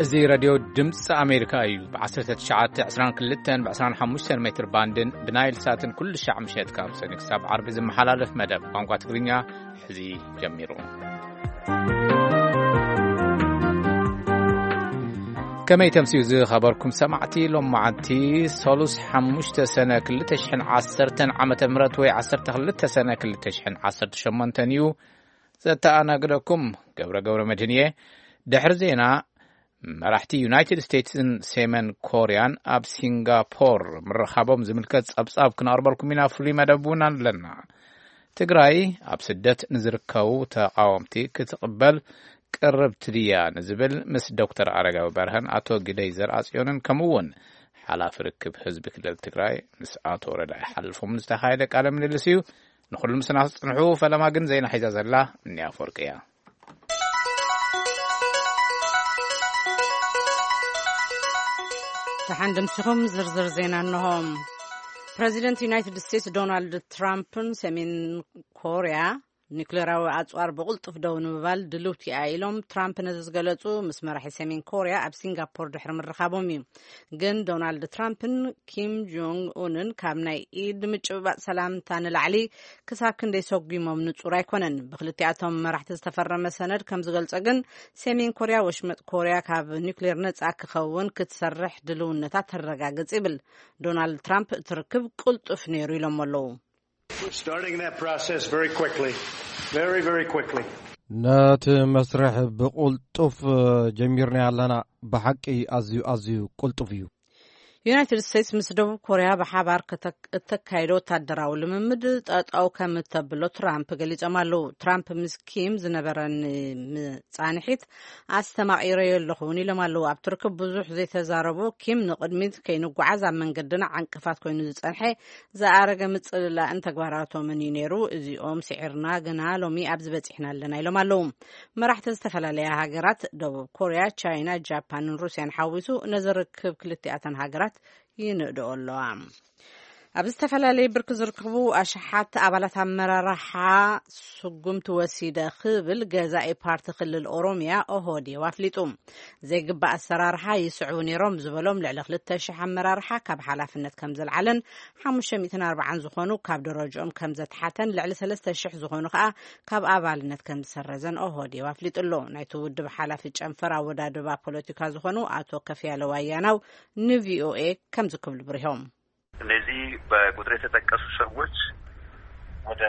እዚ ሬድዮ ድምፂ ኣሜሪካ እዩ። ብ1922 ብ25 ሜትር ባንድን ብናይል ሳትን ኩሉ ሻዕ ምሸት ካብ ሰኒ ክሳብ ዓርቢ ዝመሓላለፍ መደብ ቋንቋ ትግርኛ ሕዚ ጀሚሩ። ከመይ ተምስዩ ዝኸበርኩም ሰማዕቲ? ሎም መዓልቲ ሰሉስ ሓሙሽተ ሰነ ክልተ ሽሕን ዓሰርተን ዓመተ ምህረት ወይ ዓሰርተ ክልተ ሰነ ክልተ ሽሕን ዓሰርተ ሸሞንተን እዩ። ዘተኣናግደኩም ገብረ ገብረ መድህን እየ። ድሕሪ ዜና፣ መራሕቲ ዩናይትድ ስቴትስን ሰሜን ኮርያን ኣብ ሲንጋፖር ምርኻቦም ዝምልከት ጸብጻብ ክነቕርበልኩም ኢና። ፍሉይ መደብ እውን ኣለና። ትግራይ ኣብ ስደት ንዝርከቡ ተቓወምቲ ክትቕበል ቅርብቲ ድያ ንዝብል ምስ ዶክተር ኣረጋዊ በርሀን ኣቶ ግደይ ዘርኣጽዮንን ከምኡ እውን ሓላፊ ርክብ ህዝቢ ክልል ትግራይ ምስ ኣቶ ረዳኢ ሓልፎም ዝተኻየደ ቃለ ምልልስ እዩ። ንኹሉ ምስና ክትጽንሑ ፈለማ ግን ዜና ሒዛ ዘላ እኒ ኣፈወርቂ እያ። ደሓን ድምስኹም ዝርዝር ዜና እንሆ። ፕረዚደንት ዩናይትድ ስቴትስ ዶናልድ ትራምፕን ሰሜን ኮርያ ኒክሌራዊ ኣጽዋር ብቕልጡፍ ደው ንምባል ድልውቲ እያ ኢሎም ትራምፕ ነዚ ዝገለጹ ምስ መራሒ ሰሜን ኮርያ ኣብ ሲንጋፖር ድሕሪ ምርኻቦም እዩ። ግን ዶናልድ ትራምፕን ኪም ጆንግ ኡንን ካብ ናይ ኢድ ምጭብባጥ ሰላምታ ንላዕሊ ክሳብ ክንደይ ሰጒሞም ንጹር ኣይኮነን። ብክልቲኣቶም መራሕቲ ዝተፈረመ ሰነድ ከም ዝገልጾ ግን ሰሜን ኮርያ ወሽመጥ ኮርያ ካብ ኒክሌር ነጻ ክኸውን ክትሰርሕ ድልውነታ ተረጋግጽ ይብል። ዶናልድ ትራምፕ እቲ ርክብ ቅልጡፍ ነይሩ ኢሎም ኣለዉ። We're starting that process very quickly, very, very quickly. ነቲ መስርሕ ብቕልጡፍ ጀሚርና ኣለና። ብሓቂ ኣዝዩ ኣዝዩ ቅልጡፍ እዩ። ዩናይትድ ስቴትስ ምስ ደቡብ ኮርያ ብሓባር እተካይዶ ወታደራዊ ልምምድ ጠጠው ከም እተብሎ ትራምፕ ገሊጾም ኣለዉ። ትራምፕ ምስ ኪም ዝነበረኒ ምጻንሒት ኣስተማቒረዮ ኣለኹ እውን ኢሎም ኣለዉ። ኣብቲ ርክብ ብዙሕ ዘይተዛረቡ ኪም ንቕድሚት ከይንጓዓዝ ኣብ መንገድና ዕንቅፋት ኮይኑ ዝጸንሐ ዝኣረገ ምጽልላእን ተግባራቶምን እዩ ነይሩ። እዚኦም ስዒርና ግና ሎሚ ኣብዚ በጺሕና ኣለና ኢሎም ኣለዉ። መራሕቲ ዝተፈላለያ ሃገራት ደቡብ ኮርያ፣ ቻይና፣ ጃፓንን ሩስያን ሓዊሱ ነዚ ርክብ ክልቲኣተን ሃገራት ይንእድኦ ኣለዋ። ኣብ ዝተፈላለየ ብርኪ ዝርከቡ ኣሽሓት ኣባላት ኣመራርሓ ስጉምቲ ወሲደ ክብል ገዛኢ ፓርቲ ክልል ኦሮሚያ ኦህዴድ ኣፍሊጡ። ዘይግባእ ኣሰራርሓ ይስዕቡ ነይሮም ዝበሎም ልዕሊ ክልተ ሽሕ ኣመራርሓ ካብ ሓላፍነት ከም ዘልዓለን ሓሙሽተ ሚእትን ኣርባዓን ዝኾኑ ካብ ደረጅኦም ከም ዘትሓተን ልዕሊ ሰለስተ ሽሕ ዝኾኑ ከኣ ካብ ኣባልነት ከም ዝሰረዘን ኦህዴድ ኣፍሊጡ ኣሎ። ናይቲ ውድብ ሓላፊ ጨንፈር ኣወዳድባ ፖለቲካ ዝኾኑ ኣቶ ከፍያለ ዋያናው ንቪኦኤ ከምዚ ክብሉ ብሪሆም። እነዚህ በቁጥር የተጠቀሱ ሰዎች ወደ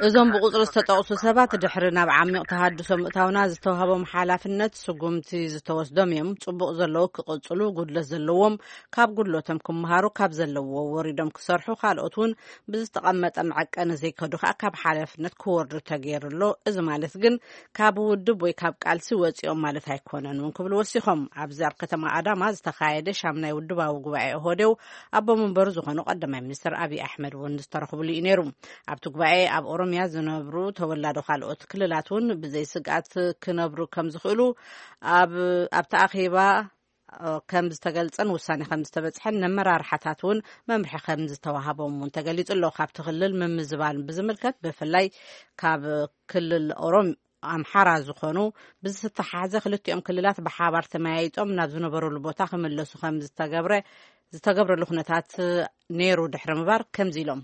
እዞም ብቁፅሪ ዝተጠቕሱ ሰባት ድሕሪ ናብ ዓሚቕ ተሃድሶ ምእታውና ዝተዋህቦም ሓላፍነት ስጉምቲ ዝተወስዶም እዮም። ፅቡቕ ዘለዉ ክቕፅሉ፣ ጉድለት ዘለዎም ካብ ጉድለቶም ክመሃሩ፣ ካብ ዘለውዎ ወሪዶም ክሰርሑ፣ ካልኦት እውን ብዝተቐመጠ መዐቀኒ ዘይከዱ ከዓ ካብ ሓላፍነት ክወርዱ ተገይሩ ኣሎ። እዚ ማለት ግን ካብ ውድብ ወይ ካብ ቃልሲ ወፂኦም ማለት ኣይኮነን እውን ክብሉ ወሲኾም። ኣብዚ ኣብ ከተማ ኣዳማ ዝተኻየደ ሻምናይ ውድባዊ ጉባኤ ኦህዴድ ኣቦ መንበሩ ዝኾኑ ቀዳማይ ሚኒስትር ኣብይ ኣሕመድ እውን ዝተረኽብሉ እዩ ነይሩ። ኣብቲ ጉባኤ ኣብ ኦሮሚያ ዝነብሩ ተወላዶ ካልኦት ክልላት እውን ብዘይ ስግኣት ክነብሩ ከም ዝኽእሉ ኣብ ኣብቲ ኣኼባ ከም ዝተገልጸን ውሳኔ ከም ዝተበጽሐን ነመራርሓታት እውን መምርሒ ከም ዝተዋሃቦም እውን ተገሊጹ ኣሎ። ካብቲ ክልል ምምዝባል ብዝምልከት ብፍላይ ካብ ክልል ኦሮም ኣምሓራ ዝኾኑ ብዝተሓሓዘ ክልቲኦም ክልላት ብሓባር ተመያይጦም ናብ ዝነበሩሉ ቦታ ክምለሱ ከም ዝተገብረ ዝተገብረሉ ኩነታት ነይሩ ድሕሪ ምባር ከምዚ ኢሎም።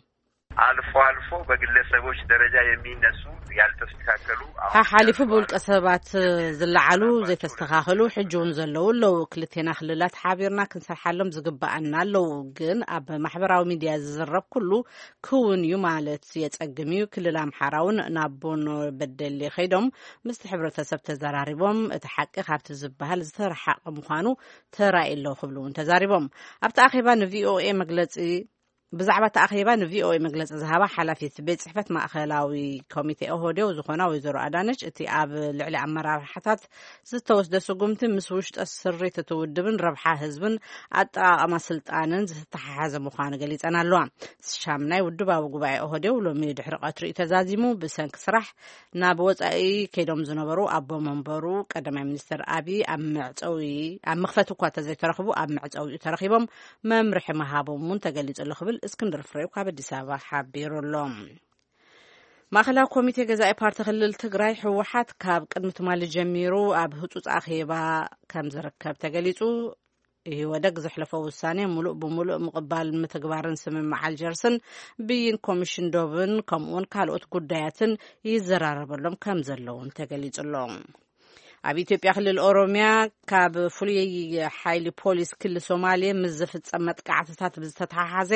አልፎ አልፎ በግለሰቦች ደረጃ የሚነሱ ያልተስተካከሉ ሓሓሊፉ ብውልቀ ሰባት ዝለዓሉ ዘይተስተኻኸሉ ሕጂ እውን ዘለዉ ኣለዉ። ክልቴና ክልላት ሓቢርና ክንሰርሓሎም ዝግበኣና ኣለዉ። ግን ኣብ ማሕበራዊ ሚድያ ዝዝረብ ኩሉ ክውን እዩ ማለት የጸግም እዩ። ክልል ኣምሓራ እውን ናብ ቦኖ በደሌ ከይዶም ምስቲ ሕብረተሰብ ተዘራሪቦም እቲ ሓቂ ካብቲ ዝበሃል ዝተረሓቐ ምዃኑ ተራእዩ ኣሎ ክብሉ እውን ተዛሪቦም። ኣብቲ ኣኼባ ንቪኦኤ መግለጺ ብዛዕባ እቲ ኣኼባ ንቪኦኤ መግለጺ ዝሃባ ሓላፊት ቤት ጽሕፈት ማእኸላዊ ኮሚቴ ኦህዴድ ዝኾና ወይዘሮ ኣዳነች እቲ ኣብ ልዕሊ ኣመራርሓታት ዝተወስደ ስጉምቲ ምስ ውሽጠ ስሪት እቲ ውድብን ረብሓ ህዝብን ኣጠቓቕማ ስልጣንን ዝተተሓሓዘ ምዃኑ ገሊጸን ኣለዋ። ሻምናይ ውድባዊ ጉባኤ ኦህዴድ ሎሚ ድሕሪ ቀትሪ እዩ ተዛዚሙ። ብሰንኪ ስራሕ ናብ ወጻኢ ከይዶም ዝነበሩ ኣቦ መንበሩ ቀዳማይ ሚኒስትር ኣብይ ኣብ መዕጸዊ ኣብ መኽፈቲ እኳ ተዘይተረኽቡ ኣብ መዕጸዊኡ ተረኺቦም መምርሒ ምሃቦም እውን ተገሊጹ ኣሎ ክብል እስክንድር ፍሬው ካብ ኣዲስ ኣበባ ሓቢሩ ኣሎ። ማእኸላዊ ኮሚቴ ገዛኢ ፓርቲ ክልል ትግራይ ህወሓት ካብ ቅድሚ ትማሊ ጀሚሩ ኣብ ህፁፅ ኣኼባ ከም ዝርከብ ተገሊፁ። ኢህወደግ ዘሕለፎ ውሳኔ ሙሉእ ብሙሉእ ምቕባል ምትግባርን ስምምዕ ኣልጀርስን ብይን ኮሚሽን ዶብን ከምኡውን ካልኦት ጉዳያትን ይዘራረበሎም ከም ዘለውን ተገሊጹ ኣሎ። ኣብ ኢትዮጵያ ክልል ኦሮሚያ ካብ ፍሉይ ሓይሊ ፖሊስ ክልል ሶማሌ ምስ ዝፍጸም መጥቃዕትታት ብዝተተሓሓዘ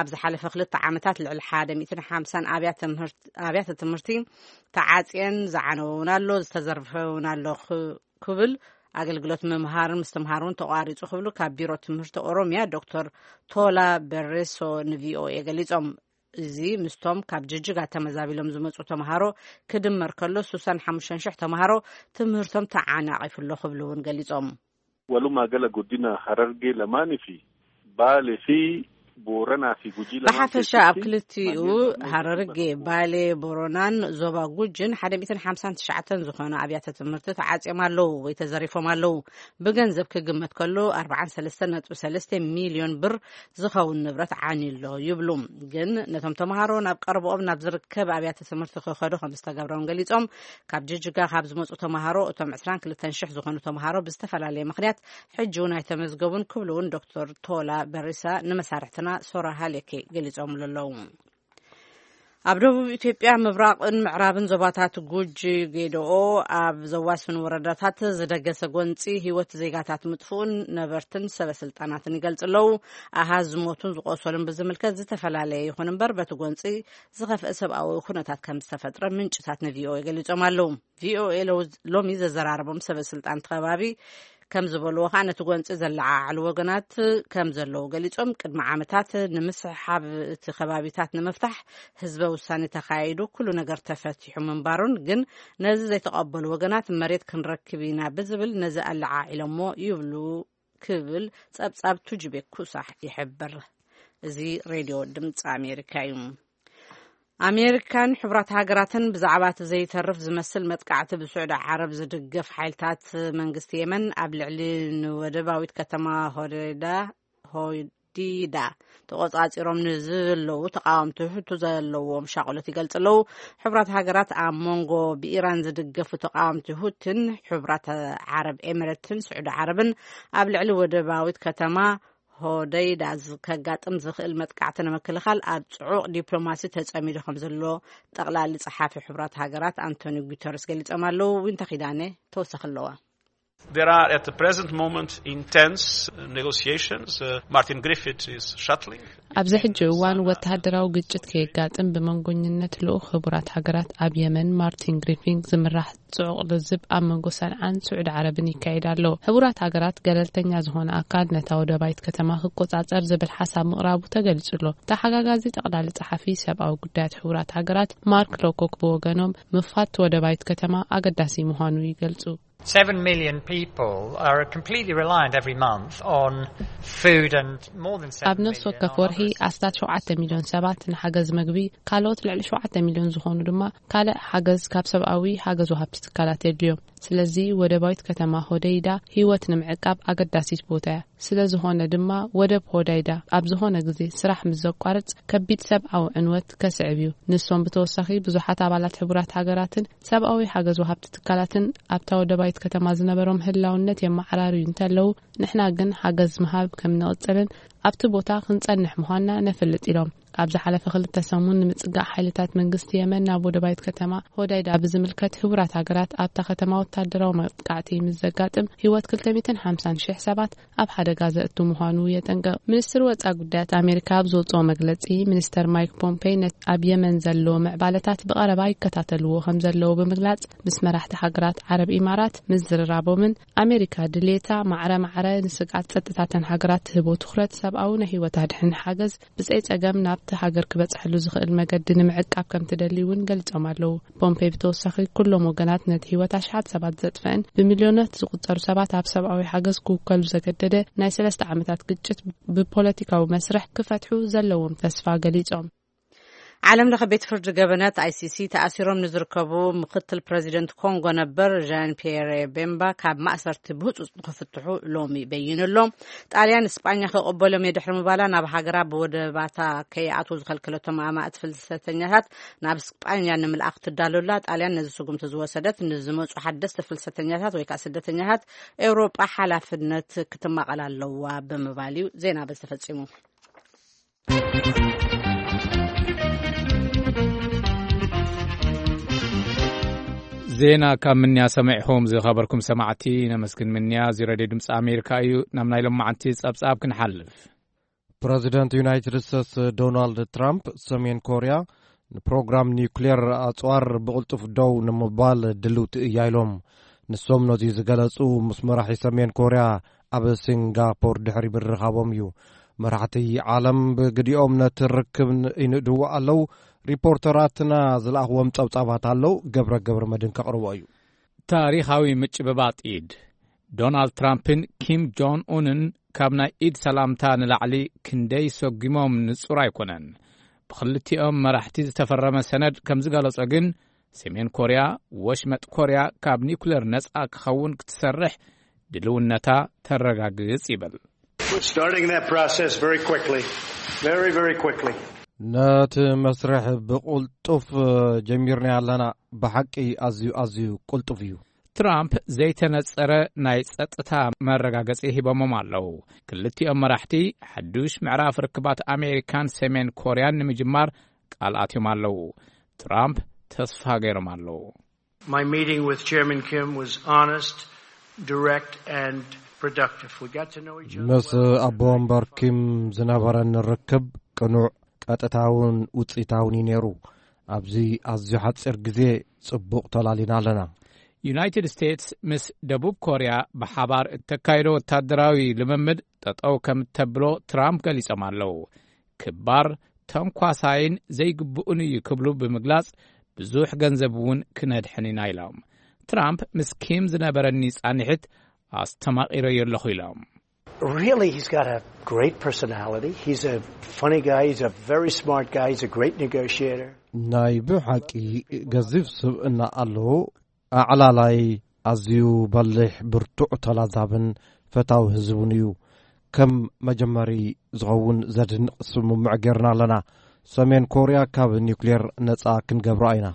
ኣብ ዝሓለፈ ክልተ ዓመታት ልዕሊ ሓደ ሚእትን ሓምሳን ኣብያተ ትምህርት-፣ ኣብያተ ትምህርቲ ተዓጽየን ዝዓነወ እውን ኣሎ፣ ዝተዘርፈ እውን ኣሎ ክ-፣ ክብል ኣገልግሎት ምምሃርን ምስትምሃርን ተቋሪጹ ክብሉ ካብ ቢሮ ትምህርቲ ኦሮሚያ ዶክተር ቶላ በሬሶ ንቪኦኤ ገሊጾም። እዚ ምስቶም ካብ ጅጅጋ ተመዛቢሎም ዝመጹ ተምሃሮ ክድመር ከሎ ስሳን ሓሙሽተን ሽሕ ተምሃሮ ትምህርቶም ተዓናቒፉ ኣሎ ክብሉ እውን ገሊጾም። Walumaa gala godina Harargee lamaanii fi Baalee fi Booranaa fi Gujii lamaan ብሓፈሻ ኣብ keessatti ክልቲኡ manneen barnoota ሃረርጌ፣ ባሌ፣ ቦረናን ዞባ ጉጅን ሓደ ሚእትን ሓምሳን ትሽዓተን ዝኾነ ኣብያተ ትምህርቲ ተዓጽዮም ኣለዉ ወይ ተዘሪፎም ኣለዉ። ብገንዘብ ክግመት ከሎ ኣርባዓን ሰለስተን ነጥቢ ሰለስተ ሚልዮን ብር ዝኸውን ንብረት ዓንዩ ኣሎ ይብሉ። ግን ነቶም ተምሃሮ ናብ ቀረብኦም ናብ ዝርከብ ኣብያተ ትምህርቲ ክኸዱ ከም ዝተገብሮም ገሊጾም። ካብ ጅጅጋ ካብ ዝመጹ ተምሃሮ እቶም ዕስራን ክልተን ሽሕ ዝኾኑ ተምሃሮ ብዝተፈላለየ ምኽንያት ሕጂ እውን ኣይተመዝገቡን ክብሉ እውን ዶክተር ቶላ በሪሳ ንመሳርሕትና ሶራ ሃሌኬ ገሊጾምሉ ኣለዉ። ኣብ ደቡብ ኢትዮጵያ ምብራቕን ምዕራብን ዞባታት ጉጂ ጌደኦ ኣብ ዘዋስኑ ወረዳታት ዝደገሰ ጎንጺ ህይወት ዜጋታት ምጥፍኡን ነበርትን ሰበ ስልጣናትን ይገልጹ ኣለዉ። ኣሃዝ ዝሞቱን ዝቆሰሉን ብዝምልከት ዝተፈላለየ ይኹን እምበር በቲ ጎንጺ ዝኸፍአ ሰብኣዊ ኩነታት ከም ዝተፈጥረ ምንጭታት ንቪኦኤ ገሊጾም ኣለዉ። ቪኦኤ ሎ-፣ ሎሚ ዘዘራረቦም ሰበ ስልጣን እቲ ከባቢ ከም ዝበልዎ ከኣ ነቲ ጎንጺ ዘለዓዓሉ ወገናት ከም ዘለዉ ገሊጾም፣ ቅድሚ ዓመታት ንምስሕሓብ እቲ ከባቢታት ንምፍታሕ ህዝበ ውሳኔ ተኻይዱ ኩሉ ነገር ተፈቲሑ ምንባሩን ግን ነዚ ዘይተቐበሉ ወገናት መሬት ክንረክብ ኢና ብዝብል ነዚ ኣለዓዒሎሞ ይብሉ ክብል ጸብጻብ ቱጅቤ ኩሳሕ ይሕብር። እዚ ሬድዮ ድምፂ ኣሜሪካ እዩ። ኣሜሪካን ሕቡራት ሃገራትን ብዛዕባ እቲ ዘይተርፍ ዝመስል መጥቃዕቲ ብስዑዲ ዓረብ ዝድገፍ ሓይልታት መንግስቲ የመን ኣብ ልዕሊ ንወደባዊት ከተማ ሆዴዳ፣ ሆዲዳ ተቆጻጺሮም ንዘለዉ ተቃወምቲ ሕቱ ዘለዎም ሻቕሎት ይገልጽ ኣለዉ። ሕቡራት ሃገራት ኣብ መንጎ ብኢራን ዝድገፉ ተቃወምቲ ሁትን ሕቡራት ዓረብ ኤሚሬትን ስዑዲ ዓረብን ኣብ ልዕሊ ወደባዊት ከተማ ሆደይዳ ዝ-፣ ከጋጥም ዝኽእል መጥቃዕቲ ንምክልኻል ኣብ ጽዑቕ ዲፕሎማሲ ተጸሚዱ ከም ዘሎ ጠቕላሊ ጸሓፊ ሕቡራት ሃገራት ኣንቶኒ ጉተረስ ገሊጾም ኣለዉ። ዊንታ ኪዳነ ተወሳኺ ኣለዋ። There are at the present moment intense negotiations. Uh, Martin Griffith is shuttling. ኣብዚ ሕጂ እዋን ወተሃደራዊ ግጭት ከየጋጥም ብመንጎኝነት ልኡኽ ሕቡራት ሃገራት ኣብ የመን ማርቲን ግሪፊን ዝምራሕ ጽዑቕ ልዝብ ኣብ መንጎ ሰንዓን ስዑዲ ዓረብን ይካየድ ኣሎ። ሕቡራት ሃገራት ገለልተኛ ዝኾነ ኣካል ነታ ወደባይት ከተማ ክቆጻጸር ዝብል ሓሳብ ምቕራቡ ተገሊጹ ኣሎ። ተሓጋጋዚ ጠቕላሊ ጸሓፊ ሰብኣዊ ጉዳያት ሕቡራት ሃገራት ማርክ ሎኮክ ብወገኖም ምኽፋት ወደባይት ከተማ ኣገዳሲ ምዃኑ ይገልጹ። Seven million people are completely reliant every month on food and more than ኣብ seven ነፍሲ ወከፍ million ወርሒ on other ኣስታት ሸውዓተ ሚልዮን ሰባት ንሓገዝ መግቢ፣ ካልኦት ልዕሊ ሸውዓተ ሚልዮን ዝኾኑ ድማ ካልእ ሓገዝ ካብ ሰብኣዊ ሓገዝ ወሃብቲ ትካላት የድልዮም። ስለዚ ወደባዊት ከተማ ሆደይዳ ህይወት ንምዕቃብ ኣገዳሲት ቦታ እያ። ስለ ዝኾነ ድማ ወደብ ሆዳይዳ ኣብ ዝኾነ ግዜ ስራሕ ምስ ዘቋርጽ ከቢድ ሰብኣዊ ዕንወት ከስዕብ እዩ። ንሶም ብተወሳኺ ብዙሓት ኣባላት ሕቡራት ሃገራትን ሰብኣዊ ሓገዝ ወሃብቲ ትካላትን ኣብታ ወደባዊት ከተማ ዝነበሮም ህላውነት የመዓራርዩ እንተለዉ፣ ንሕና ግን ሓገዝ ምሃብ ከም ንቕጽልን ኣብቲ ቦታ ክንጸንሕ ምዃንና ነፍልጥ ኢሎም። ኣብ ዝሓለፈ ክልተ ሰሙን ንምጽጋዕ ሓይልታት መንግስቲ የመን ናብ ወደባዊት ከተማ ሆዳይዳ ብዝምልከት ሕቡራት ሃገራት ኣብታ ከተማ ወታደራዊ መጥቃዕቲ ምስ ዘጋጥም ህይወት ክልተ ሚእትን ሓምሳን ሽሕ ሰባት ኣብ ሓደጋ ዘእቱ ምዃኑ የጠንቅቕ። ሚኒስትሪ ወጻኢ ጉዳያት ኣሜሪካ ኣብ ዝወጽኦ መግለጺ፣ ሚኒስተር ማይክ ፖምፔይ ነት-፣ ኣብ የመን ዘሎ ምዕባለታት ብቐረባ ይከታተልዎ ከም ዘለዉ ብምግላጽ፣ ምስ መራሕቲ ሃገራት ዓረብ ኢማራት ምዝርራቦምን ኣሜሪካ ድሌታ ማዕረ ማዕረ ንስግኣት ጸጥታተን ሃገራት ትህቦ ትኹረት ሰብኣዊ ናይ ህይወት ኣድሕን ሓገዝ ብዘይ ጸገም ናብቲ ሃገር ክበጽሐሉ ዝኽእል መገዲ ንምዕቃብ ከም ትደሊ እውን ገሊጾም ኣለዉ። ፖምፔይ ብተወሳኺ፣ ኩሎም ወገናት ነቲ ህይወት ኣሽሓት ሰባት ዘጥፍአን ብሚልዮናት ዝቑጸሩ ሰባት ኣብ ሰብኣዊ ሓገዝ ክውከሉ ዘገደደ ናይ ሰለስተ ዓመታት ግጭት ብፖለቲካዊ መስርሕ ክፈትሑ ዘለዎም ተስፋ ገሊጾም። ዓለም ለኸ ቤት ፍርዲ ገበናት፣ ኣይሲሲ፣ ተኣሲሮም ንዝርከቡ ምክትል ፕረዚደንት ኮንጎ ነበር ዣን ፒየረ ቤምባ ካብ ማእሰርቲ ብህጹጽ ንክፍትሑ ሎሚ በይኑ ኣሎ። ጣልያን ስጳኛ ክቕበሎም እየ ድሕሪ ምባላ፣ ናብ ሃገራ ብወደባታ ከይኣትዉ ዝኸልከለቶም ኣማእት ፍልሰተኛታት ናብ ስጳኛ ንምልኣኽ ትዳሎ ኣላ። ጣልያን ነዚ ስጉምቲ ዝወሰደት፣ ንዝመጹ ሓደስቲ ፍልሰተኛታት ወይ ከዓ ስደተኛታት ኤውሮጳ ሓላፍነት ክትማቐል ኣለዋ ብምባል እዩ። ዜና በዚ ተፈጺሙ። ዜና ካብ ምንያ ሰሚዕኹም ዝኸበርኩም ሰማዕቲ ነመስግን። ምንያ እዚ ሬድዮ ድምፂ ኣሜሪካ እዩ። ናብ ናይ ሎማዓንቲ ጸብጻብ ክንሓልፍ። ፕረዚደንት ዩናይትድ ስቴትስ ዶናልድ ትራምፕ፣ ሰሜን ኮርያ ንፕሮግራም ኒውክሌር ኣጽዋር ብቕልጡፍ ደው ንምባል ድልውቲ እያ ኢሎም። ንሶም ነዚ ዝገለጹ ምስ መራሒ ሰሜን ኮርያ ኣብ ሲንጋፖር ድሕሪ ምርኻቦም እዩ። መራሕቲ ዓለም ብግዲኦም ነቲ ርክብ ይንእድዎ ኣለዉ። ሪፖርተራትና ዝለኣኽዎም ጸብጻባት ኣለዉ። ገብረ ገብረ መድህን ከቕርቦ እዩ። ታሪኻዊ ምጭብባጥ ኢድ። ዶናልድ ትራምፕን ኪም ጆን ኡንን ካብ ናይ ኢድ ሰላምታ ንላዕሊ ክንደይ ሰጒሞም ንጹር ኣይኮነን። ብኽልቲኦም መራሕቲ ዝተፈረመ ሰነድ ከም ዝገለጾ ግን፣ ሰሜን ኮርያ ወሽመጥ ኮርያ ካብ ኒውክሌር ነጻ ክኸውን ክትሰርሕ ድልውነታ ተረጋግጽ ይብል። We're starting that process very quickly. Very, very quickly. ነቲ መስርሕ ብቕልጡፍ ጀሚርና ኣለና። ብሓቂ ኣዝዩ፣ ኣዝዩ ቅልጡፍ እዩ። ትራምፕ ዘይተነጸረ ናይ ጸጥታ መረጋገጺ ሂቦሞም ኣለዉ። ክልቲኦም መራሕቲ ሓዱሽ ምዕራፍ ርክባት ኣሜሪካን ሰሜን ኮርያን ንምጅማር ቃል ኣትዮም ኣለዉ። ትራምፕ ተስፋ ገይሮም ኣለዉ። My meeting with Chairman Kim was honest, direct, and productive. We got to know each other ምስ well. ኣቦ ወንበር ኪም ዝነበረን ርክብ ቅኑዕ፣ ቀጥታውን ውጽኢታውን እዩ ነይሩ። ኣብዚ ኣዝዩ ሓጺር ግዜ ጽቡቕ ተላሊና ኣለና። ዩናይትድ ስቴትስ ምስ ደቡብ ኮርያ ብሓባር እተካይዶ ወታደራዊ ልምምድ ጠጠው ከም እተብሎ ትራምፕ ገሊጾም ኣለዉ። ክባር፣ ተንኳሳይን ዘይግብኡን እዩ ክብሉ ብምግላጽ፣ ብዙሕ ገንዘብ እውን ክነድሕን ኢና ኢሎም። ትራምፕ ምስ ኪም ዝነበረኒ ጻንሒት ኣስተማቒረዮ ኣለኹ ኢሎም። Really, he's got a great personality. He's a funny guy. He's a very smart guy. He's a great negotiator. ናይ ብሓቂ ገዚፍ ስብእና ኣለዎ። ኣዕላላይ፣ ኣዝዩ በሊሕ፣ ብርቱዕ፣ ተላዛብን ፈታዊ ህዝቡን እዩ። ከም መጀመሪ ዝኸውን ዘድንቕ ስምምዕ ጌርና ኣለና። ሰሜን ኮርያ ካብ ኒውክሌር ነጻ ክንገብራ ኢና።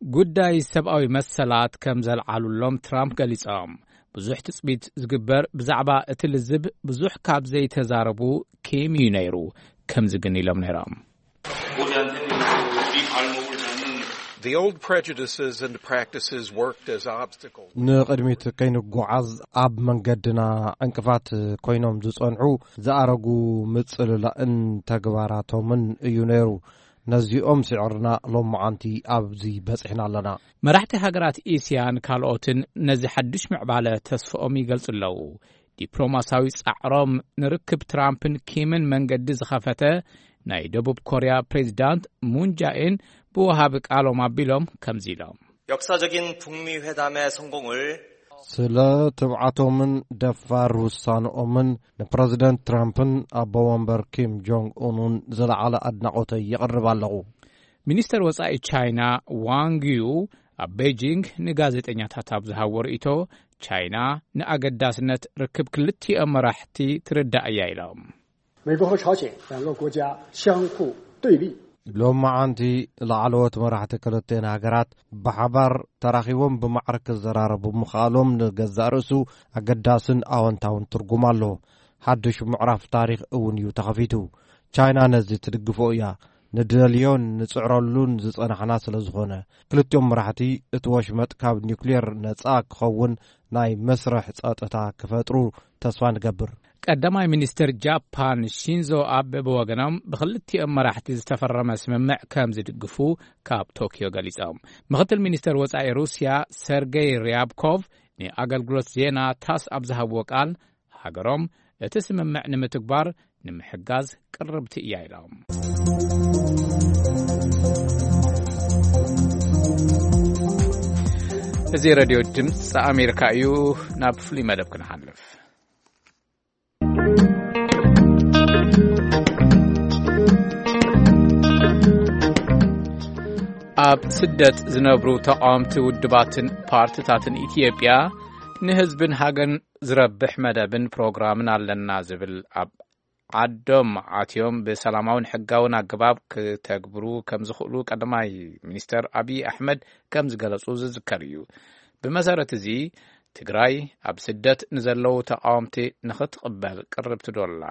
ጉዳይ ሰብኣዊ መሰላት ከም ዘልዓሉሎም ትራምፕ ገሊጾም። ብዙሕ ትጽቢት ዝግበር ብዛዕባ እቲ ልዝብ ብዙሕ ካብ ዘይተዛረቡ ኪም እዩ ነይሩ። ከምዚ ግን ኢሎም ነይሮም። The old prejudices and practices worked as obstacles. ንቕድሚት ከይንጓዓዝ ኣብ መንገድና ዕንቅፋት ኮይኖም ዝጸንሑ ዝኣረጉ ምጽልላእን ተግባራቶምን እዩ ነይሩ። ነዚኦም ስዒርና ሎማዓንቲ ኣብዚ በጺሕና ኣለና። መራሕቲ ሃገራት እስያን ካልኦትን ነዚ ሓድሽ ምዕባለ ተስፍኦም ይገልጹ ኣለዉ። ዲፕሎማሳዊ ጻዕሮም ንርክብ ትራምፕን ኪምን መንገዲ ዝኸፈተ ናይ ደቡብ ኮርያ ፕሬዚዳንት ሙን ጃኤን ብወሃቢ ቃሎም ኣቢሎም ከምዚ ኢሎም። 역사적인 북미 회담의 성공을 ስለ ትብዓቶምን ደፋር ውሳንኦምን ንፕረዚደንት ትራምፕን ኣቦ ወንበር ኪም ጆንግ ኡንን ዝለዓለ ኣድናቖተይ የቕርብ ኣለኹ። ሚኒስተር ወጻኢ ቻይና ዋንግ ዩ ኣብ ቤጂንግ ንጋዜጠኛታት ኣብ ዝሃቦ ርእይቶ፣ ቻይና ንኣገዳስነት ርክብ ክልቲኦም መራሕቲ ትርዳእ እያ ኢሎም። 美国和朝鲜两个国家相互对立。 ሎማዓንቲ ላዕለዎት መራሕቲ ክልቲኤን ሃገራት ብሓባር ተራኺቦም ብማዕረ ክዘራረቡ ምኽኣሎም ንገዛእ ርእሱ ኣገዳስን ኣወንታውን ትርጉም ኣለዎ። ሓድሽ ምዕራፍ ታሪኽ እውን እዩ ተኸፊቱ። ቻይና ነዚ ትድግፎ እያ። ንደልዮን ንጽዕረሉን ዝጸናሕና ስለ ዝኾነ፣ ክልቲኦም መራሕቲ እቲ ወሽመጥ ካብ ኒውክሌር ነጻ ክኸውን ናይ መስርሕ ጸጥታ ክፈጥሩ ተስፋ ንገብር። ቀዳማይ ሚኒስትር ጃፓን ሺንዞ ኣበ ብወገኖም ብክልቲኦም መራሕቲ ዝተፈረመ ስምምዕ ከም ዝድግፉ ካብ ቶኪዮ ገሊጾም። ምክትል ሚኒስተር ወጻኢ ሩስያ ሰርጌይ ሪያብኮቭ ንኣገልግሎት ዜና ታስ ኣብ ዝሃብዎ ቃል፣ ሃገሮም እቲ ስምምዕ ንምትግባር ንምሕጋዝ ቅርብቲ እያ ኢሎም። እዚ ሬድዮ ድምፂ ኣሜሪካ እዩ። ናብ ፍሉይ መደብ ክንሓልፍ። ኣብ ስደት ዝነብሩ ተቓወምቲ ውድባትን ፓርትታትን ኢትዮጵያ ንህዝብን ሃገርን ዝረብሕ መደብን ፕሮግራምን ኣለና ዝብል ኣብ ዓዶም ኣትዮም ብሰላማውን ሕጋውን ኣገባብ ክተግብሩ ከም ዝኽእሉ ቀዳማይ ሚኒስተር ኣብይ ኣሕመድ ከም ዝገለጹ ዝዝከር እዩ። ብመሰረት እዚ ትግራይ ኣብ ስደት ንዘለዉ ተቓወምቲ ንኽትቕበል ቅርብቲ ዶ ኣላ?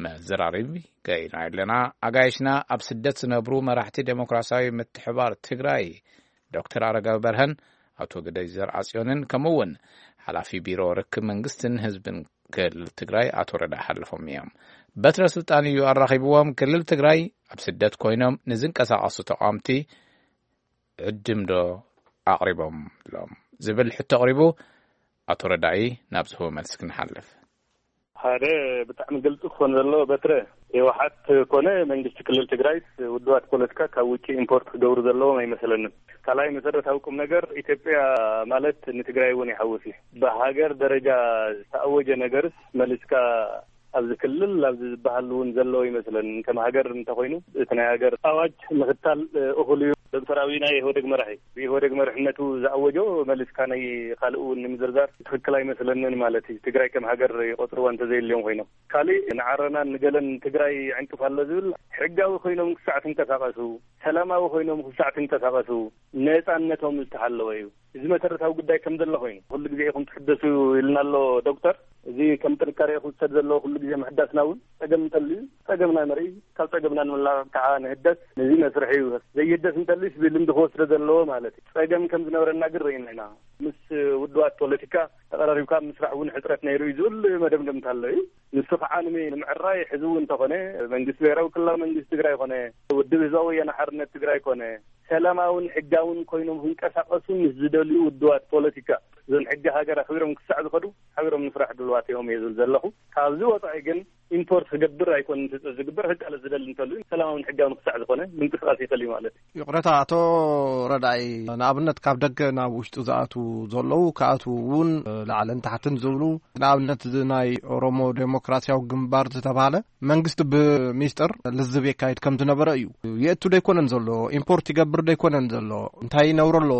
መዘራረቢ ገይርና ኣለና። ኣጋይሽና ኣብ ስደት ዝነብሩ መራሕቲ ዴሞክራሲያዊ ምትሕባር ትግራይ ዶክተር ኣረጋዊ በርሀን ኣቶ ግደይ ዘርኣጽዮንን ከምኡ እውን ሓላፊ ቢሮ ርክብ መንግስትን ህዝብን ክልል ትግራይ ኣቶ ረዳ ሓለፎም እዮም። በትረ ስልጣን እዩ ኣራኺብዎም። ክልል ትግራይ ኣብ ስደት ኮይኖም ንዝንቀሳቐሱ ተቓወምቲ ዕድም ዶ ኣቕሪቦም ሎም ዝብል ሕቶ ኣቕሪቡ። ኣቶ ረዳኢ ናብ ዝህቦ መልሲ ክንሓልፍ። ሓደ ብጣዕሚ ግልፂ ክኾን ዘለዎ በትረ ህወሓት ኮነ መንግስቲ ክልል ትግራይ ውድባት ፖለቲካ ካብ ውጭ ኢምፖርት ክገብሩ ዘለዎም ኣይመስለንን። ካልኣይ መሰረታዊ ቁም ነገር ኢትዮጵያ ማለት ንትግራይ እውን ይሓውስ እዩ። ብሃገር ደረጃ ዝተኣወጀ ነገርስ መሊስካ ኣብዚ ክልል ኣብዚ ዝበሃል እውን ዘለዎ ይመስለንን። ከም ሃገር እንተኾይኑ እቲ ናይ ሃገር ኣዋጅ ምኽታል እኹል እዩ። ዶክተር ኣብይ ናይ ኢህወደግ መራሒ ብኢህወደግ መርሕነቱ ዝኣወጆ መሊስካ ናይ ካልእ እውን ንምዝርዛር ትኽክል ኣይመስለንን ማለት እዩ። ትግራይ ከም ሃገር ይቆፅርዋ እንተዘየልዮም ኮይኖም ካልእ ንዓረናን ንገለን ትግራይ ዕንቅፍ ኣሎ ዝብል ሕጋዊ ኮይኖም ክሳዕ ትንቀሳቐሱ ሰላማዊ ኮይኖም ክሳዕ ትንቀሳቐሱ ነፃነቶም ዝተሓለወ እዩ። እዚ መሰረታዊ ጉዳይ ከም ዘሎ ኮይኑ ኩሉ ግዜ ኢኹም ትሕደሱ ኢልና ኣሎ ዶክተር። እዚ ከም ጥንካሬ ክውሰድ ዘለዎ ኩሉ ግዜ ምሕዳስና እውን ፀገም እንተልዩ ፀገምና ንርኢ ካብ ፀገምና ንምላቕ ከዓ ንህደስ። ነዚ መስርሒ እዩ ዘይህደስ እንተልዩስ ብልምዲ ክወስዶ ዘለዎ ማለት እዩ። ፀገም ከም ዝነበረና ግን ርኢና ኢና። ምስ ውድባት ፖለቲካ ተቐራሪብካ ምስራሕ እውን ሕፅረት ነይሩ እዩ ዝብል መደምደምታ ኣሎ እዩ። ንሱ ከዓ ንምዕራይ ሕዚ እውን እንተኾነ መንግስቲ ብሄራዊ ክልላዊ መንግስቲ ትግራይ ኮነ ውድብ ህዝባዊ ወያነ ሓርነት ትግራይ ኮነ ሰላማውን ሕጋውን ኮይኖም ክንቀሳቀሱ ምስ ዝደልዩ ውድባት ፖለቲካ እዞን ሕጊ ሃገር ኣኽቢሮም ክሳዕ ዝኸዱ ሓቢሮም ንስራሕ ድልዋት እዮም እየ ዝብል ዘለኹ። ካብዚ ወፃኢ ግን ኢምፖርት ክገብር ኣይኮን ዝግበር። ህቃለ ዝደሊ እንተሉ ሰላማውን ሕጋውን ክሳዕ ዝኾነ ምንቅስቃስ ይኽእል እዩ ማለት እዩ። ይቕረታ ኣቶ ረዳኢ፣ ንኣብነት ካብ ደገ ናብ ውሽጢ ዝኣቱ ዘለዉ ክኣትዉ እውን ላዕልን ታሕትን ዝብሉ ንኣብነት እዚ ናይ ኦሮሞ ዴሞክራሲያዊ ግንባር ዝተባሃለ መንግስቲ ብሚስጥር ልዝብ የካይድ ከም ዝነበረ እዩ። የእቱ ደይኮነን ዘሎ ኢምፖርት ይገብር ደይኮነን ዘሎ እንታይ ይነብሮ ኣሎ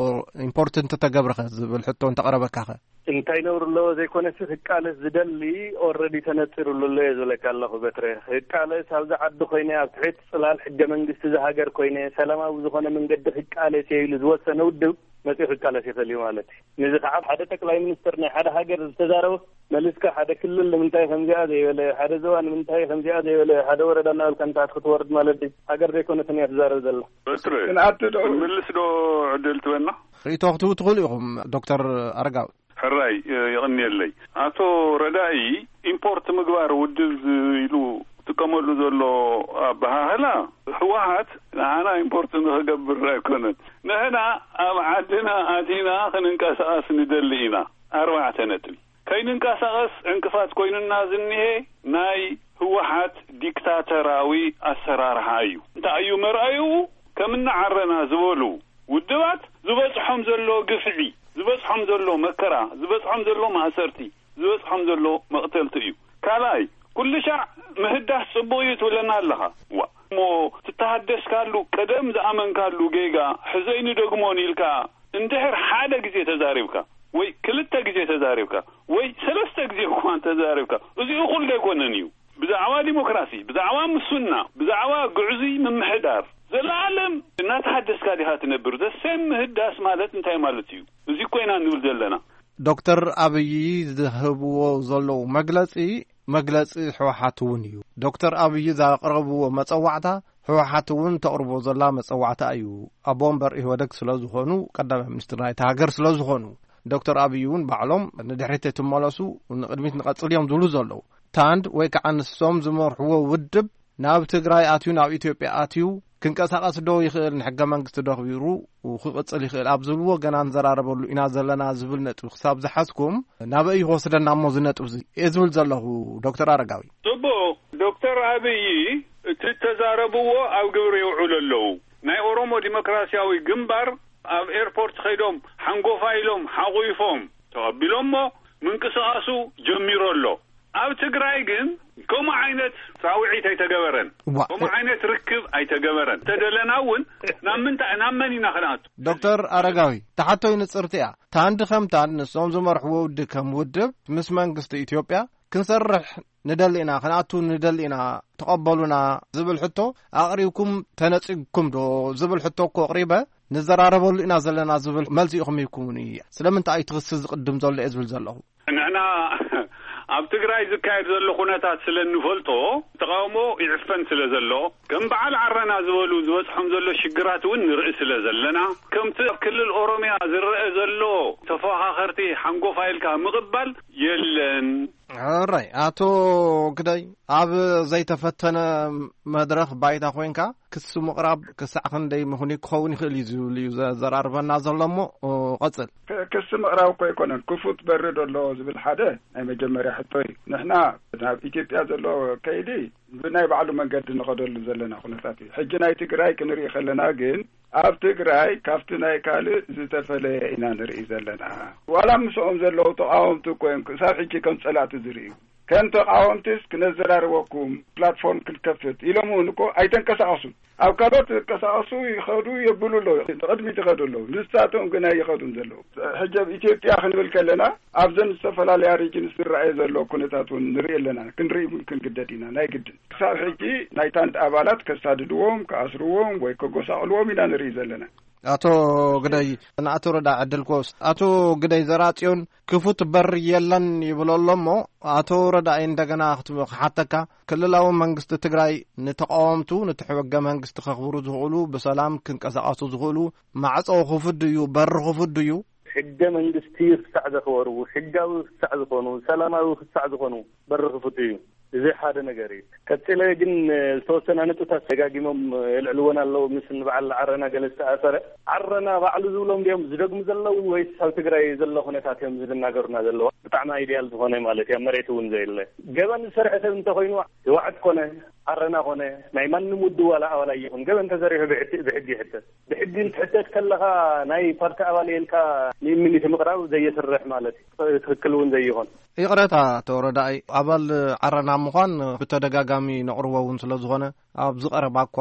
ኢምፖርት እንተተገብረኸ ዝብል ሕቶ እንተቐረበካኸ? እንታይ ነውሪ ኣለዎ ዘይኮነሲ ክቃለስ ዝደሊ ኦረዲ ተነፂሩሉ ኣሎ እየ ዝብለካ ኣለኹ በትረ። ክቃለስ ኣብዚ ዓዲ ኮይነ ኣብ ትሕቲ ፅላል ሕገ መንግስቲ ዝሃገር ኮይነ ሰላማዊ ዝኾነ መንገዲ ክቃለስ እየ ኢሉ ዝወሰነ ውድብ መፂኡ ክቃለስ ይኽእል እዩ ማለት እዩ። ነዚ ከዓ ሓደ ጠቅላይ ሚኒስትር ናይ ሓደ ሃገር ዝተዛረበ መሊስካ ሓደ ክልል ንምንታይ ከምዚኣ ዘይበለ ሓደ ዞባ ንምንታይ ከምዚኣ ዘይበለ ሓደ ወረዳ እናበልካ ንታሕቲ ክትወርድ ማለት እዩ። ሃገር ዘይኮነትን እያ ትዛረብ ዘላ። በትረ ክንኣቱ ዶ? ክንምልስ ዶ ዕድል ትበና? ርእይቶ ክትህቡ ትኽእሉ ኢኹም ዶክተር ኣረጋዊ። ሕራይ የቐንየለይ። ኣቶ ረዳኢ ኢምፖርት ምግባር ውድብ ኢሉ ጥቀመሉ ዘሎ ኣበሃህላ ህወሓት ንዓና ኢምፖርት ንኽገብር ኣይኮነን። ንሕና ኣብ ዓድና ኣቲና ክንንቀሳቐስ ንደሊ ኢና። ኣርባዕተ ነጥቢ ከይንንቀሳቐስ ዕንቅፋት ኮይኑና ዝኒሄ ናይ ህወሓት ዲክታተራዊ ኣሰራርሓ እዩ። እንታይ እዩ መርኣይኡ? ከምና ዓረና ዝበሉ ውድባት ዝበፅሖም ዘሎ ግፍዒ ዝበፅሖም ዘሎ መከራ ዝበፅሖም ዘሎ ማእሰርቲ ዝበፅሖም ዘሎ መቕተልቲ እዩ። ካልኣይ ኩልሻዕ ምህዳስ ፅቡቕ እዩ ትብለና ኣለኻ። ዋ እሞ ትተሃደስካሉ ቀደም ዝኣመንካሉ ጌጋ ሕዘይ ንደግሞን ኢልካ እንድሕር ሓደ ግዜ ተዛሪብካ ወይ ክልተ ግዜ ተዛሪብካ ወይ ሰለስተ ግዜ እኳ ተዛሪብካ እዚኡ ኩሉ ኣይኮነን እዩ። ብዛዕባ ዲሞክራሲ ብዛዕባ ምስና ብዛዕባ ግዕዙይ ምምሕዳር ዘለኣለም እናተሃደስካ ዲኻ ትነብር ዘሰም ምህዳስ ማለት እንታይ ማለት እዩ? እዚ ኮይና ንብል ዘለና። ዶክተር ኣብይ ዝህብዎ ዘለዉ መግለፂ መግለፂ ህወሓት እውን እዩ። ዶክተር ኣብይ ዘቕረብዎ መፀዋዕታ ህወሓት እውን ተቕርቦ ዘላ መፀዋዕታ እዩ። ኣቦ ወንበር ኢህወደግ ስለ ዝኾኑ ቀዳማይ ሚኒስትር ናይቲ ሃገር ስለ ዝኾኑ ዶክተር ኣብይ እውን ባዕሎም ንድሕሪት ኣይትመለሱ ንቕድሚት ንቐፅል እዮም ዝብሉ ዘለዉ። ታንድ ወይ ከዓ ንሶም ዝመርሕዎ ውድብ ናብ ትግራይ ኣትዩ ናብ ኢትዮጵያ ኣትዩ ክንቀሳቐስ ዶ ይኽእል ንሕገ መንግስቲ ዶ ኣኽቢሩ ክቕፅል ይኽእል ኣብ ዝብልዎ ገና ንዘራረበሉ ኢና ዘለና ዝብል ነጥቢ ክሳብ ዝሓዝኩም ናበይ ክወስደና እሞ እዚ ነጥቢ እዚ እየ ዝብል ዘለኹ ዶክተር ኣረጋዊ። ጽቡቕ። ዶክተር ኣብይ እቲ እተዛረብዎ ኣብ ግብሪ የውዕሉ ኣለዉ። ናይ ኦሮሞ ዲሞክራሲያዊ ግንባር ኣብ ኤርፖርት ከይዶም ሓንጎፋ ኢሎም ሓቑፎም ተቐቢሎሞ ምንቅስቓሱ ጀሚሩ ኣሎ። ኣብ ትግራይ ግን ከምኡ ዓይነት ጻውዒት ኣይተገበረን። ዋ፣ ከምኡ ዓይነት ርክብ ኣይተገበረን። ተደለና እውን ናብ ምንታይ፣ ናብ መን ኢና ክንኣቱ? ዶክተር ኣረጋዊ፣ ተሓቶይ ንጽርቲ እያ። ታንዲ ከምታን ንሶም ዝመርሕዎ ውድብ ከም ውድብ ምስ መንግስቲ ኢትዮጵያ ክንሰርሕ ንደሊ ኢና፣ ክንኣቱ ንደሊ ኢና፣ ተቐበሉና ዝብል ሕቶ ኣቕሪብኩም ተነጺግኩም ዶ ዝብል ሕቶ እኮ ኣቕሪበ፣ ንዘራረበሉ ኢና ዘለና ዝብል መልሲ ኢኹም ሂብኩምኒ። ስለምንታይ እዩ እቲ ክሲ ዝቕድም ዘሎ እየ ዝብል ዘለኹ? ንሕና ኣብ ትግራይ ዝካየድ ዘሎ ኩነታት ስለ እንፈልጦ፣ ተቃውሞ ይዕፈን ስለ ዘሎ፣ ከም በዓል ዓረና ዝበሉ ዝበጽሖም ዘሎ ሽግራት እውን ንርኢ ስለ ዘለና፣ ከምቲ ኣብ ክልል ኦሮምያ ዝረአ ዘሎ ተፈኻኸርቲ ሓንጎፋ ኢልካ ምቕባል የለን። ሕራይ፣ ኣቶ ግደይ፣ ኣብ ዘይተፈተነ መድረኽ ባይታ ኮይንካ ክሲ ምቕራብ ክሳዕ ክንደይ ምኽኑይ ክኸውን ይኽእል እዩ ዝብል እዩ ዘ-፣ ዘራርበና ዘሎ እሞ፣ ኦ፣ ቀጽል። ክ-፣ ክሲ ምቕራብ እኮ ኣይኮነን፣ ክፉት በሪ ዶ ኣሎ ዝብል ሓደ ናይ መጀመርያ ሕቶ እዩ። ንሕና ናብ ኢትዮጵያ ዘሎ ከይዲ ብናይ ባዕሉ መንገዲ ንኸደሉ ዘለና ኩነታት እዩ። ሕጂ ናይ ትግራይ ክንርኢ ከለና ግን፣ ኣብ ትግራይ ካብቲ ናይ ካልእ ዝተፈለየ ኢና ንርኢ ዘለና። ዋላ ምስኦም ዘለዉ ተቃወምቲ እኮ እዮም ክሳብ ሕጂ ከም ጸላእቲ ዝርእዩ። ከም ተቃወምቲስ ክነዘራርበኩም ፕላትፎርም ክንከፍት ኢሎም እውን እኮ ኣይተንቀሳቐሱን። ኣብ ካልኦት ዝንቀሳቐሱ ይኸዱ የብሉ ኣለዉ፣ ንቕድሚት ይኸዱ ኣለዉ። ንሳቶም ግን ኣይኸዱን ዘለዉ። ሕጂ ኣብ ኢትዮጵያ ክንብል ከለና ኣብዘን ዝተፈላለያ ሪጅንስ ዝረኣየ ዘሎ ኩነታት እውን ንርኢ ኣለና፣ ክንርኢ እውን ክንግደድ ኢና ናይ ግድን። ክሳብ ሕጂ ናይ ታንድ ኣባላት ከሳድድዎም፣ ክኣስርዎም ወይ ከጎሳቕልዎም ኢና ንርኢ ዘለና። ኣቶ ግደይ፣ ንኣቶ ረዳ ዕድል ክወስድ። ኣቶ ግደይ ዘርኣጽዮን ክፉት በር የለን ይብሎ ኣሎ እሞ፣ ኣቶ ረዳኢ እንደገና ክት-፣ ክሓተካ፣ ክልላዊ መንግስቲ ትግራይ ንተቃወምቱ፣ ነቲ ሕገ መንግስቲ ከኽብሩ ዝኽእሉ፣ ብሰላም ክንቀሳቐሱ ዝኽእሉ ማዕጾ ክፉት ድዩ፣ በሪ ክፉት ድዩ? ሕገ መንግስቲ ክሳዕ ዘኽበሩ፣ ሕጋዊ ክሳዕ ዝኾኑ፣ ሰላማዊ ክሳዕ ዝኾኑ በሪ ክፉት እዩ። እዚ ሓደ ነገር እዩ። ቀጺለ ግን ዝተወሰነ ነጥብታት ደጋጊሞም የልዕልወን ኣለዉ። ምስ ንበዓል ዓረና ገለ ዝተኣሰረ፣ ዓረና ባዕሉ ዝብሎም ድዮም ዝደግሙ ዘለዉ ወይስ ኣብ ትግራይ ዘሎ ኩነታት እዮም ዝናገሩና ዘለዉ? ብጣዕሚ ኣይድያል ዝኾነ ማለት እዩ፣ ኣብ መሬት እውን ዘየለ። ገበን ዝሰርሐ ሰብ እንተኾይኑ ህወሓት ኮነ ዓረና ኮነ ናይ ማንም ውድብ ዋላ ኣባል ኣይኹን፣ ገበን ተሰሪሑ ብሕቲ-፣ ብሕጊ ይሕተት። ብሕጊ እንትሕተት ከለኻ ናይ ፓርቲ ኣባል እየ ኢልካ ንኢሚኒቲ ምቕራብ ዘየስርሕ ማለት እዩ። ትኽክል እውን ዘይኾን። ይቕረታ ኣቶ ረዳኢ፣ ኣባል ዓረና ምዃን ብተደጋጋሚ ነቕርቦ እውን ስለ ዝኾነ፣ ኣብዚ ቀረባ እኳ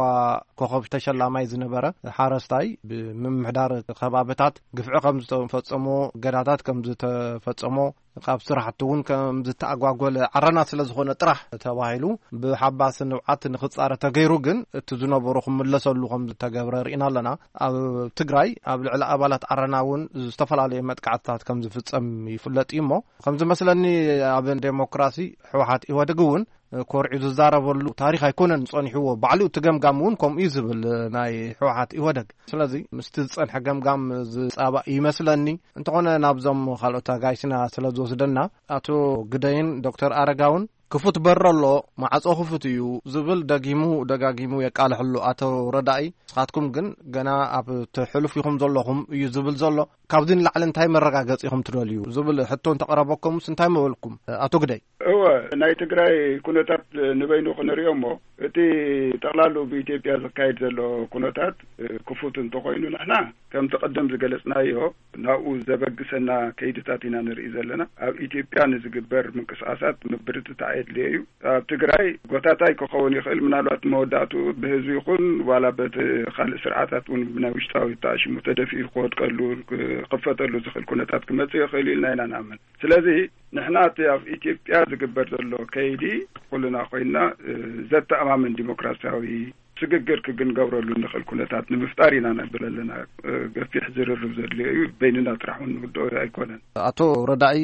ኮኸብ ተሸላማይ ዝነበረ ሓረስታይ ብምምሕዳር ከባብታት ግፍዒ ከም ዝተፈጸሞ፣ እገዳታት ከም ዝተፈጸሞ፣ ካብ ስራሕቲ እውን ከም ዝተኣጓጎለ ዓረና ስለ ዝኾነ ጥራሕ ተባሂሉ ብሓባሲ ንብዓት ንኽጻረ ተገይሩ፣ ግን እቲ ዝነበሮ ክምለሰሉ ከም ዝተገብረ ርኢና ኣለና። ኣብ ትግራይ ኣብ ልዕሊ ኣባላት ዓረና እውን ዝተፈላለዩ መጥቃዕትታት ከም ዝፍጸም ይፍለጥ እዩ እሞ፣ ከም ዝመስለኒ ኣብ ዴሞክራሲ ህወሓት ኢህወደግ እውን ኮርዒ ዝዛረበሉ ታሪኽ ኣይኮነን ጸኒሕዎ። ባዕሉ እቲ ገምጋም እውን ከምኡ እዩ ዝብል ናይ ህወሓት ኢህወደግ። ስለዚ ምስቲ ዝጸንሐ ገምጋም ዝጻባእ ይመስለኒ። እንተኾነ ናብዞም ካልኦት ኣጋይሽና ስለ ዝወስደና፣ ኣቶ ግደይን ዶክተር ኣረጋውን ክፉት በር ኣሎ፣ ማዕጾ ክፉት እዩ ዝብል ደጊሙ ደጋጊሙ የቃልሕሉ ኣቶ ረዳኢ። ንስኻትኩም ግን ገና ኣብ ትሕሉፍ ኢኹም ዘለኹም እዩ ዝብል ዘሎ። ካብዚ ንላዕሊ እንታይ መረጋገጺ ኢኹም ትደልዩ ዝብል ሕቶ እንተቐረበኩምስ እንታይ ምበልኩም ኣቶ ግደይ? እወ፣ ናይ ትግራይ ኩነታት ንበይኑ ክንሪኦ እሞ፣ እቲ ጠቕላሉ ብኢትዮጵያ ዝካየድ ዘሎ ኩነታት ክፉት እንተኾይኑ፣ ንሕና ከምቲ ቅድም ዝገለጽናዮ ናብኡ ዘበግሰና ከይድታት ኢና ንርኢ ዘለና። ኣብ ኢትዮጵያ ንዝግበር ምንቅስቓሳት ምብርትታዕ የድልዮ እዩ። ኣብ ትግራይ ጎታታይ ክኸውን ይኽእል፣ ምናልባት መወዳእትኡ ብህዝቢ ይኹን ዋላ በቲ ካልእ ስርዓታት እውን ብናይ ውሽጣዊ ተኣሽሙ ተደፊኡ ክወድቀሉ፣ ክኽፈተሉ ዝኽእል ኩነታት ክመጽእ ይኽእል ኢልና ኢና ንኣምን። ስለዚ ንሕና እቲ ኣብ ኢትዮጵያ ዝግበር ዘሎ ከይዲ ኩልና ኮይንና፣ እ፣ ዘተኣማምን ዲሞክራሲያዊ ስግግር ክግንገብረሉ እንኽእል ኩነታት ንምፍጣር ኢና ነብል ኣለና። እ፣ ገፊሕ ዝርርብ ዘድልዮ እዩ። በይንና ጥራሕ እውን ንውድኦ ኣይኮነን። ኣቶ ረዳኢ፣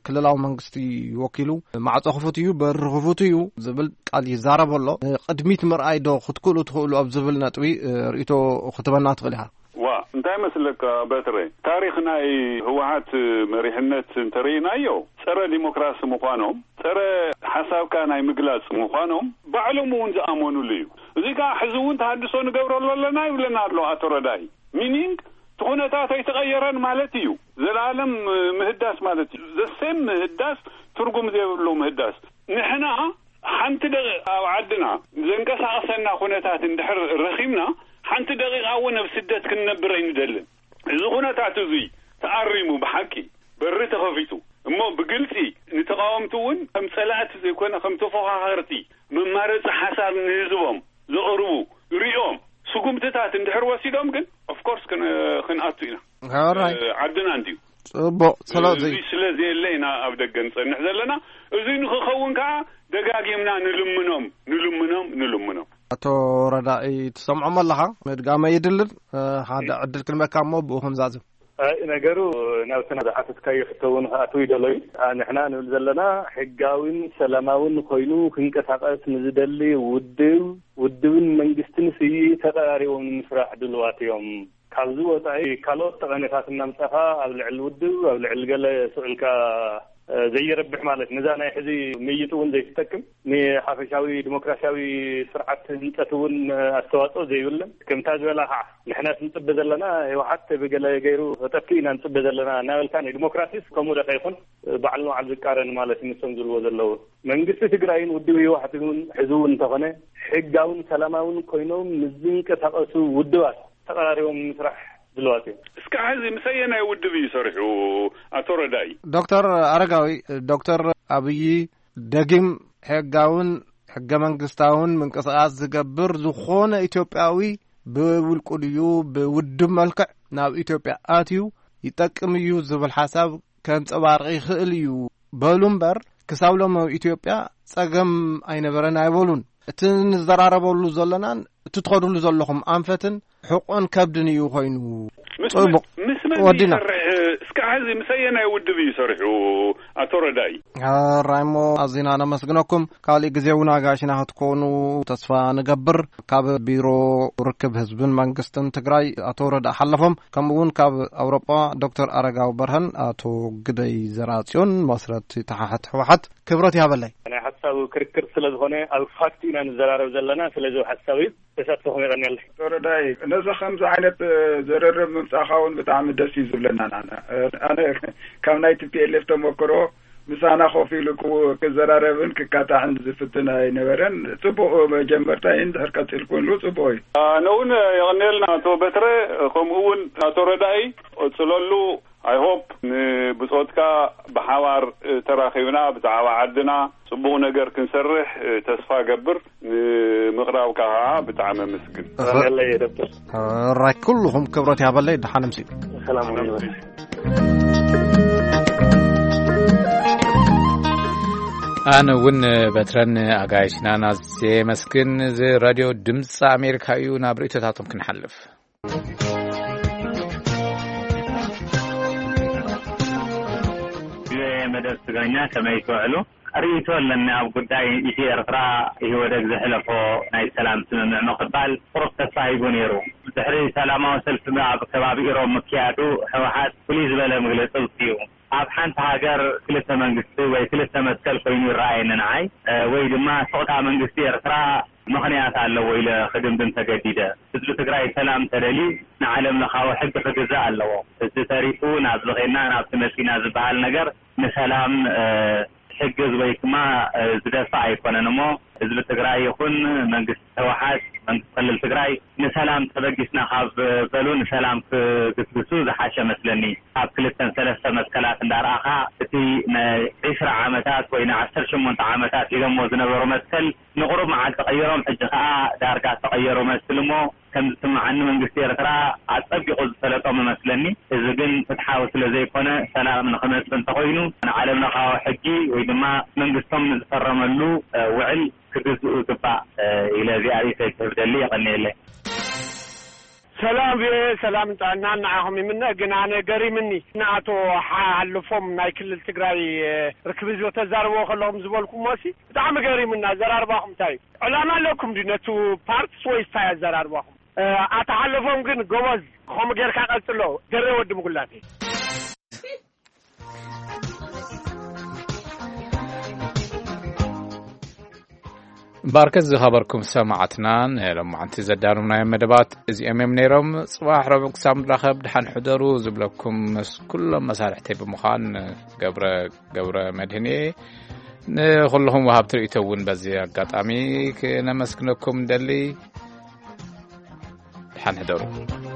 ክልላዊ መንግስቲ ወኪሉ ማዕጾ ክፉት እዩ፣ በሪ ክፉት እዩ ዝብል ቃል ይዛረብ ኣሎ። ንቅድሚት ምርኣይ ዶ ክትክእሉ ትኽእሉ ኣብ ዝብል ነጥቢ፣ እ፣ ርእይቶ ክትበና ትኽእል ኢኻ። ዋ፣ እንታይ መስለካ በትረ፣ ታሪኽ ናይ ህወሓት መሪሕነት እንተርኢናዮ፣ ጸረ ዲሞክራሲ ምዃኖም፣ ጸረ ሓሳብካ ናይ ምግላጽ ምዃኖም ባዕሎም እውን ዝኣመኑሉ እዩ። እዚ ከኣ ሕዚ እውን ተሃድሶ ንገብረሉ ኣለና ይብለና ኣሎ ኣቶ ረዳኢ። ሚኒንግ፣ እቲ ኩነታት ኣይተቐየረን ማለት እዩ። ዘላለም ምህዳስ ማለት እዩ። ዘሴም ምህዳስ፣ ትርጉም ዘይብሉ ምህዳስ። ንሕና ሓንቲ ደቂቕ ኣብ ዓድና ዘንቀሳቕሰና ኩነታት እንድሕር ረኺብና፣ ሓንቲ ደቂቓ እውን ኣብ ስደት ክንነብር ኣይንደልን። እዚ ኩነታት እዙይ ተኣሪሙ፣ ብሓቂ በሪ ተኸፊቱ፣ እሞ ብግልጺ ንተቓወምቲ እውን ከም ጸላእቲ ዘይኮነ ከም ተፎኻኸርቲ መማረጺ ሓሳብ ንህዝቦም ዘቕርቡ ሪኦም ስጉምትታት እንድሕር ወሲዶም ግን of course ክን-፣ ክንኣቱ ኢና። ሕራይ። እ፣ ዓድና እንድዩ። ጽቡቕ። ስለዚ እዚ ስለ ዘየለ ኢና ኣብ ደገ ንጸንሕ ዘለና። እዚ ንክኸውን ከኣ ደጋጊምና ንልምኖም፣ ንልምኖም፣ ንልምኖም። ኣቶ ረዳኢ ትሰምዖም ኣለኻ? ምድጋመ ይድልን። እ፣ ሓደ ዕድል ክንበካ እሞ ብኡ ክንዛዝም። ኣይ፣ ነገሩ ናብቲ ዝሓተትካዮ ሕቶ እውን ክኣትው ይደሎ እዩ። ኣ፣ ንሕና ንብል ዘለና ሕጋዊን ሰላማውን ኮይኑ ክንቀሳቐስ ንዝደሊ ውድብ፣ ውድብን መንግስትን ስይ ተቐራሪቦም ንምስራሕ ድልዋት እዮም። ካብዚ ወፃኢ ካልኦት ጠቐሜታት እናምፃኻ ኣብ ልዕሊ ውድብ፣ ኣብ ልዕሊ ገለ ስዕልካ፣ እ፣ ዘይረብሕ ማለት ነዛ ናይ ሕዚ ምይጥ እውን ዘይትጠቅም ንሓፈሻዊ ዲሞክራሲያዊ ስርዓት ህንፀት እውን ኣስተዋፅኦ ዘይብለን። ከምታ ዝበላ ከዓ ንሕና ንፅበ ዘለና ህወሓት ብገለ ገይሩ ተጠፍእ ኢና ንፅበ ዘለና እናበልካ ናይ ዲሞክራሲስ ከምኡ ደኸ ይኹን ባዕሉ ንባዕሉ ዝቃረን ማለት እዩ። ንሶም ዝብልዎ ዘለዉ መንግስቲ ትግራይን ውድብ ህወሓት እውን ሕዚ እውን እንተኾነ ሕጋውን ሰላማውን ኮይኖም ምስ ዝንቀሳቐሱ ውድባት ተቐራሪቦም ንምስራሕ ድልዋት እዮም። እስካዕ ሕዚ ምስ ኣየናይ ውድብ እዩ ሰሪሑ ኣቶ ረዳኢ? ዶክተር ኣረጋዊ፣ ዶክተር ኣብይ ደጊም ሕጋውን ሕገ መንግስታውን ምንቅስቓስ ዝገብር ዝኾነ ኢትዮጵያዊ ብውልቁ ድዩ ብውድብ መልክዕ ናብ ኢትዮጵያ ኣትዩ ይጠቅም እዩ ዝብል ሓሳብ ከንጸባርቕ ይኽእል እዩ በሉ እምበር፣ ክሳብ ሎም ኣብ ኢትዮጵያ ጸገም ኣይነበረን ኣይበሉን። እቲ ንዘራረበሉ ዘለናን እቲ ትኸድሉ ዘለኹም ኣንፈትን ሕቆን ከብድን እዩ ኮይኑ። ምስ ጽቡቕ። መን፣ ምስ መን ወዲና። ይሰርሕ? እስካዕ ሕዚ ምስ ኣየናይ ውድብ እዩ ሰሪሑ ኣቶ ረዳኢ? ሕራይ እሞ ኣዚና ነመስግነኩም። ካሊእ ግዜ እውን ኣጋይሽና ክትኮኑ ተስፋ ንገብር። ካብ ቢሮ ርክብ ህዝብን መንግስትን ትግራይ ኣቶ ረዳ ሓለፎም፣ ከምኡ እውን ካብ ኣውሮጳ ዶክተር ኣረጋዊ በርሀን ኣቶ ግደይ ዘርኣጽዮን መስረቲ ተሓሕት ህወሓት ክብረት ያበለይ። ናይ ሓሳብ ክርክር ስለ ዝኾነ ኣብ ፋክት ኢና ንዘራረብ ዘለና። ስለዚ ኣብ ሓሳብ እዩ ተሳትፎኹም የቐንየለይ። ኣቶ ረዳይ፣ ነዚ ከምዚ ዓይነት፣ እ፣ ዝርርብ ምምጻእኻ እውን ብጣዕሚ ደስ እዩ ዝብለና። ንዓና፣ እ፣ ኣነ ካብ ናይ ቲ ፒ ኤል ኤፍ ተመክሮ ምሳና ኮፍ ኢሉ ክው-፣ ክዘራረብን ክካታሕን ዝፍትን ኣይነበረን። ጽቡቕ መጀመርታ እዩ፣ እንድሕር ቀጺልኩምሉ ጽቡቕ እዩ። ኣነ እውን የቐንየልና ኣቶ በትረ፣ ከምኡ እውን ኣቶ ረዳኢ፣ ቀጽለሉ። I hope ንብጾትካ ብሓባር፣ እ፣ ተራኺብና ብዛዕባ ዓድና ጽቡቕ ነገር ክንሰርሕ፣ እ፣ ተስፋ ገብር። ንምቕራብካ ከዓ ብጣዕሚ ኣመስግን። የቐንየለይ ዶክተር። ሕራይ ኩልኹም ክብረት ያበለይ። ደሓን ምሲ። ሰላም ይበል። ኣነ እውን በትረን ኣጋይሽናን ኣዝየ የመስግን። እዚ ራድዮ ድምፂ ኣሜሪካ እዩ። ናብ ርእይቶታቶም ክንሓልፍ። ቪኦኤ መደብ ትግርኛ ከመይ ትውዕሉ? ርእይቶ ኣለኒ ኣብ ጉዳይ ኢትዮ ኤርትራ። ኢህወደግ ዘሕለፎ ናይ ሰላም ስምምዕ ምቕባል ቁሩብ ተስፋ ሂቡ ነይሩ። ድሕሪ ሰላማዊ ሰልፊ ኣብ ከባቢ ኢሮብ ምክያዱ ህወሓት ፍሉይ ዝበለ መግለፂ ኣውፂኡ። ኣብ ሓንቲ ሃገር ክልተ መንግስቲ ወይ ክልተ መትከል ኮይኑ ይረኣየኒ ንዓይ፣ እ፣ ወይ ድማ ስቕታ መንግስቲ ኤርትራ ምኽንያት ኣለዎ ኢለ ክድምድም ተገዲደ። ህዝቢ ትግራይ ሰላም ተደልዩ ንዓለም ለኻዊ ሕጊ ክግዛእ ኣለዎ። እዚ ተሪፉ ናብዚ ኸድና ናብቲ መፂና ዝበሃል ነገር ንሰላም፣ እ፣ ዝሕግዝ ወይ ድማ፣ እ፣ ዝደፍእ ኣይኮነን እሞ ህዝቢ ትግራይ ይኹን መንግስቲ ህወሓት፣ መንግስቲ ክልል ትግራይ ንሰላም ተበጊስና ካብ በሉ ንሰላም ክግስግሱ ዝሓሸ መስለኒ። ካብ ክልተን ሰለስተ መትከላት እንዳረኣኻ እቲ ናይ ዒስራ ዓመታት ወይ ንዓሰርተ ሸሞንተ ዓመታት ኢሎሞ ዝነበሩ መትከል ንቑሩብ መዓልቲ ቀይሮም፣ ሕጂ ኸኣ ዳርጋ ተቐየሩ መስል እሞ፣ ከም ዝስምዓኒ መንግስቲ ኤርትራ ኣጸቢቑ ዝፈለጦም እመስለኒ። እዚ ግን ፍትሓዊ ስለ ዘይኮነ፣ ሰላም ንኽመጽእ እንተኾይኑ፣ ንዓለም ለኻዊ ሕጊ ወይ ድማ መንግስቶም ንዝፈረመሉ፣ እ፣ ውዕል ክግዝኡ ይግባእ፣ እ፣ ኢለ እዚኣ ርእይቶይ ክህብ ደሊ። የቐንየለይ። ሰላም ቪኦኤ፣ ሰላም ጥዕናን ንዓኹም ይምነ። ግን ኣነ ገሪምኒ፣ ንኣቶ ሓ-፣ ሓልፎም ናይ ክልል ትግራይ፣ እ፣ ርክብ ህዝቢ ተዛርብዎ ከለኹም ዝበልኩምዎ ሲ ብጣዕሚ ገሪሙና። ኣዘራርባኹም እንታይ እዩ? ዕላማ ኣለኩም ድዩ ነቱ ፓርትስ ወይስ እንታይ ኣዘራርባኹም? እ፣ ኣታ ሓልፎም ግን ጎበዝ፣ ከምኡ ጌርካ ቀጽሎ። ገሬ ወዲ ምጉላተይ። እምበኣርከስ ዝኸበርኩም ሰማዕትና፣ ንሎማዓንቲ ዘዳለውናዮም መደባት እዚኦም እዮም ነይሮም። ጽባሕ ረቡዕ ክሳብ ንራኸብ፣ ደሓን ሕደሩ ዝብለኩም ምስ ኩሎም መሳርሕተይ ብምዃን ገብረ፣ ገብረ መድህን እየ። ንኹልኹም ወሃብቲ ርእይቶ እውን በዚ ኣጋጣሚ ክነመስግነኩም ንደሊ። ደሓን ሕደሩ።